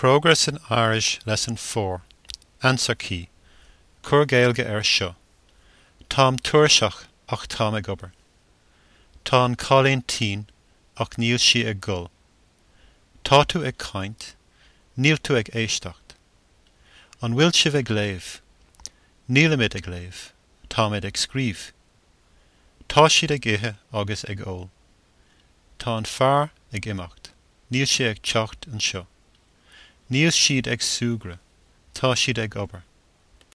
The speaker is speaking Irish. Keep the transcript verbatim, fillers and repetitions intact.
Progress in Irish Lesson four. Answer key. Cuir Gaeilge air seo. Táim tuirseach ach táim ag obair. Tá an cailín tinn ach níl sí ag gol. Tá tú ag caint, níl tú ag éisteacht. An bhfuil sibh ag léamh? Nílimid ag léamh, táimid ag scríobh. Tá siad ag ithe agus ag ól. Tá an fear ag imeacht, níl sé ag teacht anseo. Níl siad ag súgradh, tá siad ag obair.